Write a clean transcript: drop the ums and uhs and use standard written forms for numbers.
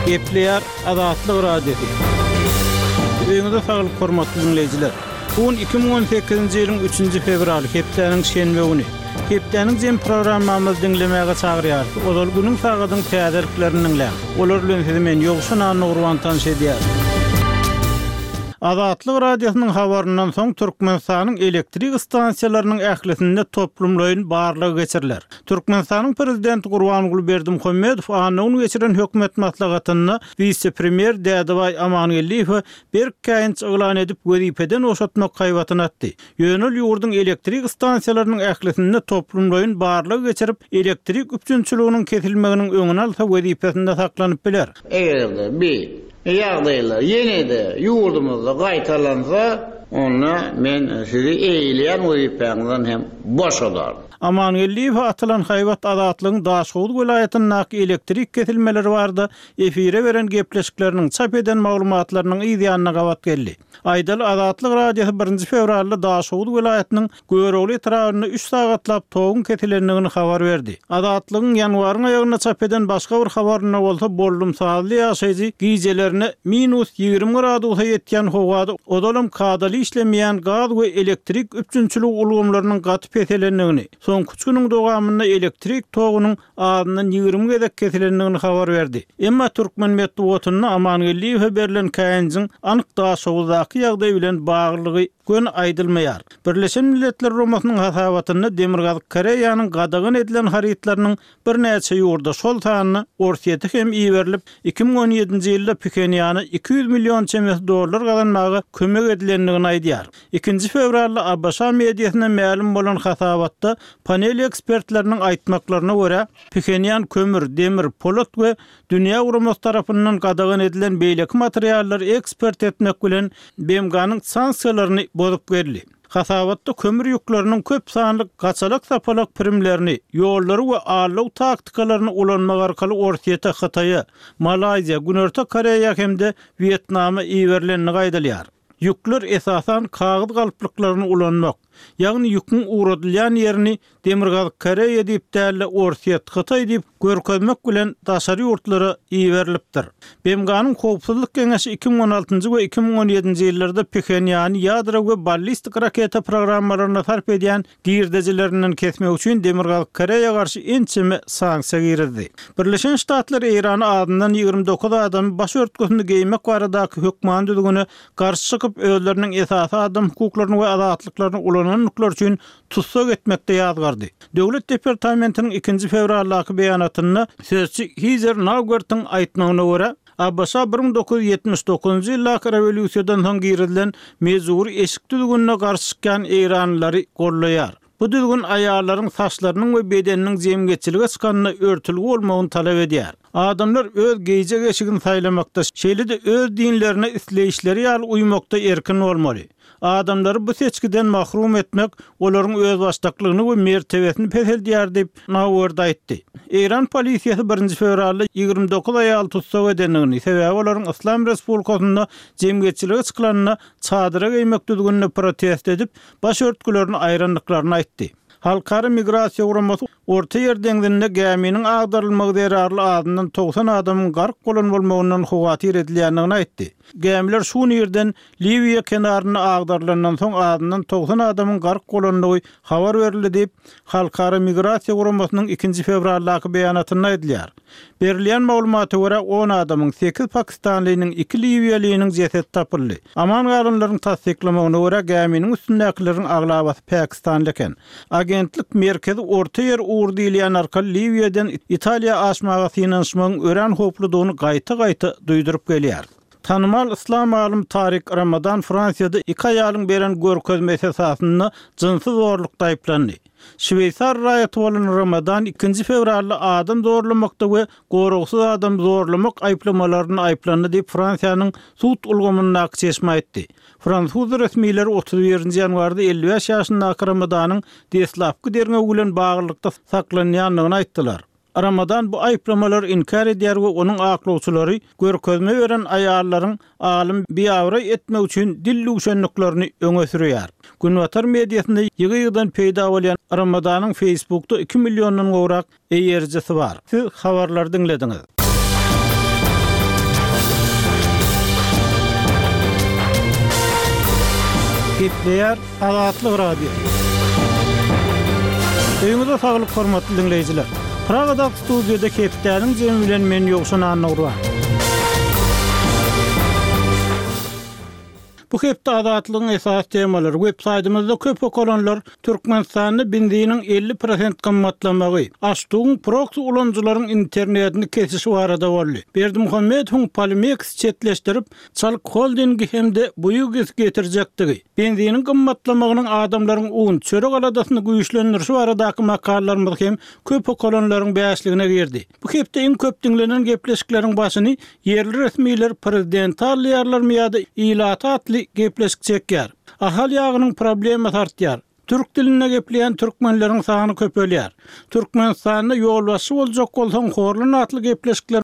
Gepleýär Azatlyk Radiosy. Öýüňize saglyk hormatly diňleýjiler. Bu gün 2018-nji ýylyň 3-nji fewraly, hepdäniň şenbe güni. Hepdäniň jem programmamyzy diňlemäge çagyrýarys. Ozal günüň sagadyň täzeliklerini diňläň. Olar bilen sizi men Ýowşan Annagurban tanyş edýärin. Azatlyk Radiosynyň habaryndan soň Türkmenistanyň elektrik stansiýalarynyň ählisinde toplumlaýyn barlag geçiriler. Türkmenistanyň Prezidenti Gurbanguly Berdimuhamedow anna güni geçiren hökümet maslahatynda wise-premýer Dädebaý Amangeldiýewe berk käýinç yglan edip, wezipeden boşatmak haýbatyny atdy. Ýöne ol ýurduň elektrik stansiýalarynyň ählisinde toplumlaýyn barlag geçirip, elektrik üpjünçiliginiň kesilmeginiň öňüni alsa wezipesinde saklanyp biler. Eger-de bi ýagdaýlar ýene-de ýurdumyzda gaýtalansa, onda men sizi eýeleýän wezipäňizden hem boşadaryn. Amangeldiýewe atylan haýbat Azatlygyň Daşhowuz welaýatyndaky elektrik kesilmeleri barada efire beren gepleşikleriniň çap eden maglumatlarynyň yz ýanyna gabat geldi. Aýdaly, Azatlyk Radiosy birinji fewralda Daşoguz welaýatynyň Görogly etrabynda üç sagatlap toguň kesilendigini habar berdi. Azatlygyň ýanwaryň aýagynda çap eden başga bir habarynda bolsa boldumsazly ýaşaýjy gijelerine minus 20 gradusa ýetýän howada ozalam kadaly işlemeýän gaz we elektrik üpjünçiligi ulgamlarynyň gaty peselendigini, soňky üç günüň dowamynda elektrik togunyň azyndan 20 gezek kesilendigini habar berdi. Emma türkmen metbugatynda Amangeldiýewe berlen käýinjiň anyk Daşoguzdaky ýagdaý bilen baglylygy göni aýdylmaýar. Birleşen Milletler Guramasynyň hasabatynda Demirgazyk Koreýanyň gadagan edilen harytlarynyň birnäçe ýurda, şol sanda Orsýete hem iberilip, 2017-nji ýylda Phenýana 200 million çemesi dollar gazanmaga kömek edilendigini aýdýar. Ikinji fewralda ABŞ mediasynda mälim bolan hasabatda panel ekspertleriniň aýtmaklaryna görä, Phenýan kömür, demir, polat we Dünýä guramasy tarapyndan gadagan edilen beýleki materiallary eksport etmek bilen BMG-niň sanksiýalaryny bozup geldi. Hasabatda kömür ýükleriniň köp sanly gaçalak-sapalak pirimlerini, ýollary we aldaw taktikalaryny ulanmak arkaly Orsýete, Hytaýa, Malaýziýa, Günorta Koreýa hem-de Wýetnama iberilendigi aýdylýar. Ýükler esasan kagyz galplyklaryny ulanmak, ýagny ýüküň ugradylýan ýerini Demirgazyk Koreýa diýip däl-de Orsýet, Hytaý diýip görkezmek bilen daşary ýurtlara iberilipdir. BMG-niň Howpsuzlyk Geňeşi 2016-njy we 2017-nji ýyllarda Phenýany ýadro we ballistik raketa programmalaryna sarp edýän girdejilerinden kesmek üçin Demirgazyk Koreýa garşy ençeme sanksiýa girizdi. Birleşen Ştatlar Eýrana azyndan 29 adamy baş örtgüsini geýmek baradaky hökmany düzgüne garşy çykyp, özleriniň esasy adam hukuklaryny we azatlyklaryny ulanandyklary üçin tussag etmekde ýazgardy. Döwlet departamentiniň ikinji fewraldaky beýanatynda sözçi Hizer Naugertiň aýtmagyna görä, ABŞ 1979-njy ýyldaky rewolýusiýadan soň girizilen mejbury eşik düzgünine garşy çykýan eýranlylary goldaýar. Bu düzgün aýallaryň saçlarynyň we bedeniniň jemgyýetçilige çykanda örtülgi bolmagyny talap edýär. Adamlar öz geýjek eşigini saýlamakda, şeýle-de öz dinlerine isleýişleri ýaly uýmakda erkin bolmaly. Adamlary bu seçgiden mahrum etmek olaryň özbaşdaklygyny we mertebesini peseldýär diýip, Nauert aýtdy. Eýran polisiýasy birinji fewralda 29 aýaly tussag edendigini, sebäbi olaryň Yslam Respublikasynda jemgyýetçilige çykylanda çadyra geýmek düzgünine protest edip, baş örtgülerini aýrandyklaryny aýtdy. Halkara migrasiýa guramasy Orta Ýer deňzinde gäminiň agdarylmagy zerarly azyndan 90 adamyň gark bolan bolmagyndan howatyr edilýändigini aýtdy. Gämiler şu gün irden Liwiýa kenarynda agdarylandan soň azyndan 90 adamyň gark bolandygy habar berildi diýip, Halkara migrasiýa guramasynyň ikinji fewraldaky beýanatynda aýdylýar. Berilýän maglumata görä, on adamyň, sekiz pakistanlynyň, iki liwiýalynyň jesedi tapyldy. Aman galanlaryň tassyklamagyna görä, gäminiň üstündäkileriň aglabasy pakistanly eken. Agentlik Merkezi Ortaýer ugry diýilýän arkaly Liwiýadan Italiýa aşmaga synanyşmagyň örän howpludygyny gaýta-gaýta duýduryp gelýär. Tanymal yslam alymy Tarik Ramadan Fransiýada iki aýalyň beren görkezmesi esasynda jynsy zorlukda aýyplandy. Şweýsar raýaty bolan Ramadan ikinji fewralda adam zorlamakda we goragsyz adamy zorlamak aýyplamalarynda aýyplandy diýip, Fransiýanyň sud ulgamyndaky çeşme aýtdy. Fransuz resmileri 31-nji ýanwarda 55 ýaşyndaky Ramadanyň deslapky derňew bilen baglylykda saklanýandygyny aýtdylar. Ramadan bu aýyplamalary inkär edýär we onuň aklawçylary görkezme beren aýallaryň alymy biabraý etmek üçin dil düwşendiklerini öňe sürýär. Günbatar mediasynda ýygy-ýygydan peýda bolýan Ramadanyň Facebookda iki milliondan gowrak eýerijisi bar. Siz habarlary diňlediňiz. Gepleýär Azatlyk Radiosy. Öýüňize saglyk hormatly diňleýjiler. Pragadaky studiýada hepdäniň jemi bilen men Ýowşan Annagurban. Bu hepde Azatlygyň esasy temalary web saýtymyzda köp okalanlar Türkmenistanda benziniň 50 prosent gymmatlamagy, Aştugyň proksi ulanyjylaryň internetini kesişi barada boldy. Berdimuhamedowyň Polimeks çetleşdirip, Çalyk holdingi hem-de Buýugis getirjekdigi, benziniň gymmatlamagynyň adamlaryň un, çörek aladasyny güýçlendirişi baradaky makalalarymyz hem köp okalanlaryň bäşligine girdi. Bu hepde iň köp diňlenen gepleşikleriň başyny ýerli resmiler prezidenti aldaýarlarmy ýa-da ilaty atly gepleşik çekýär. Ahal ýagynyň problemasy artýar. Türk dilinde gepleýän türkmenleriň sany köpelýär. Türkmenistanda ýolbaşçy boljak bolsaň horlan atly gepleşikler.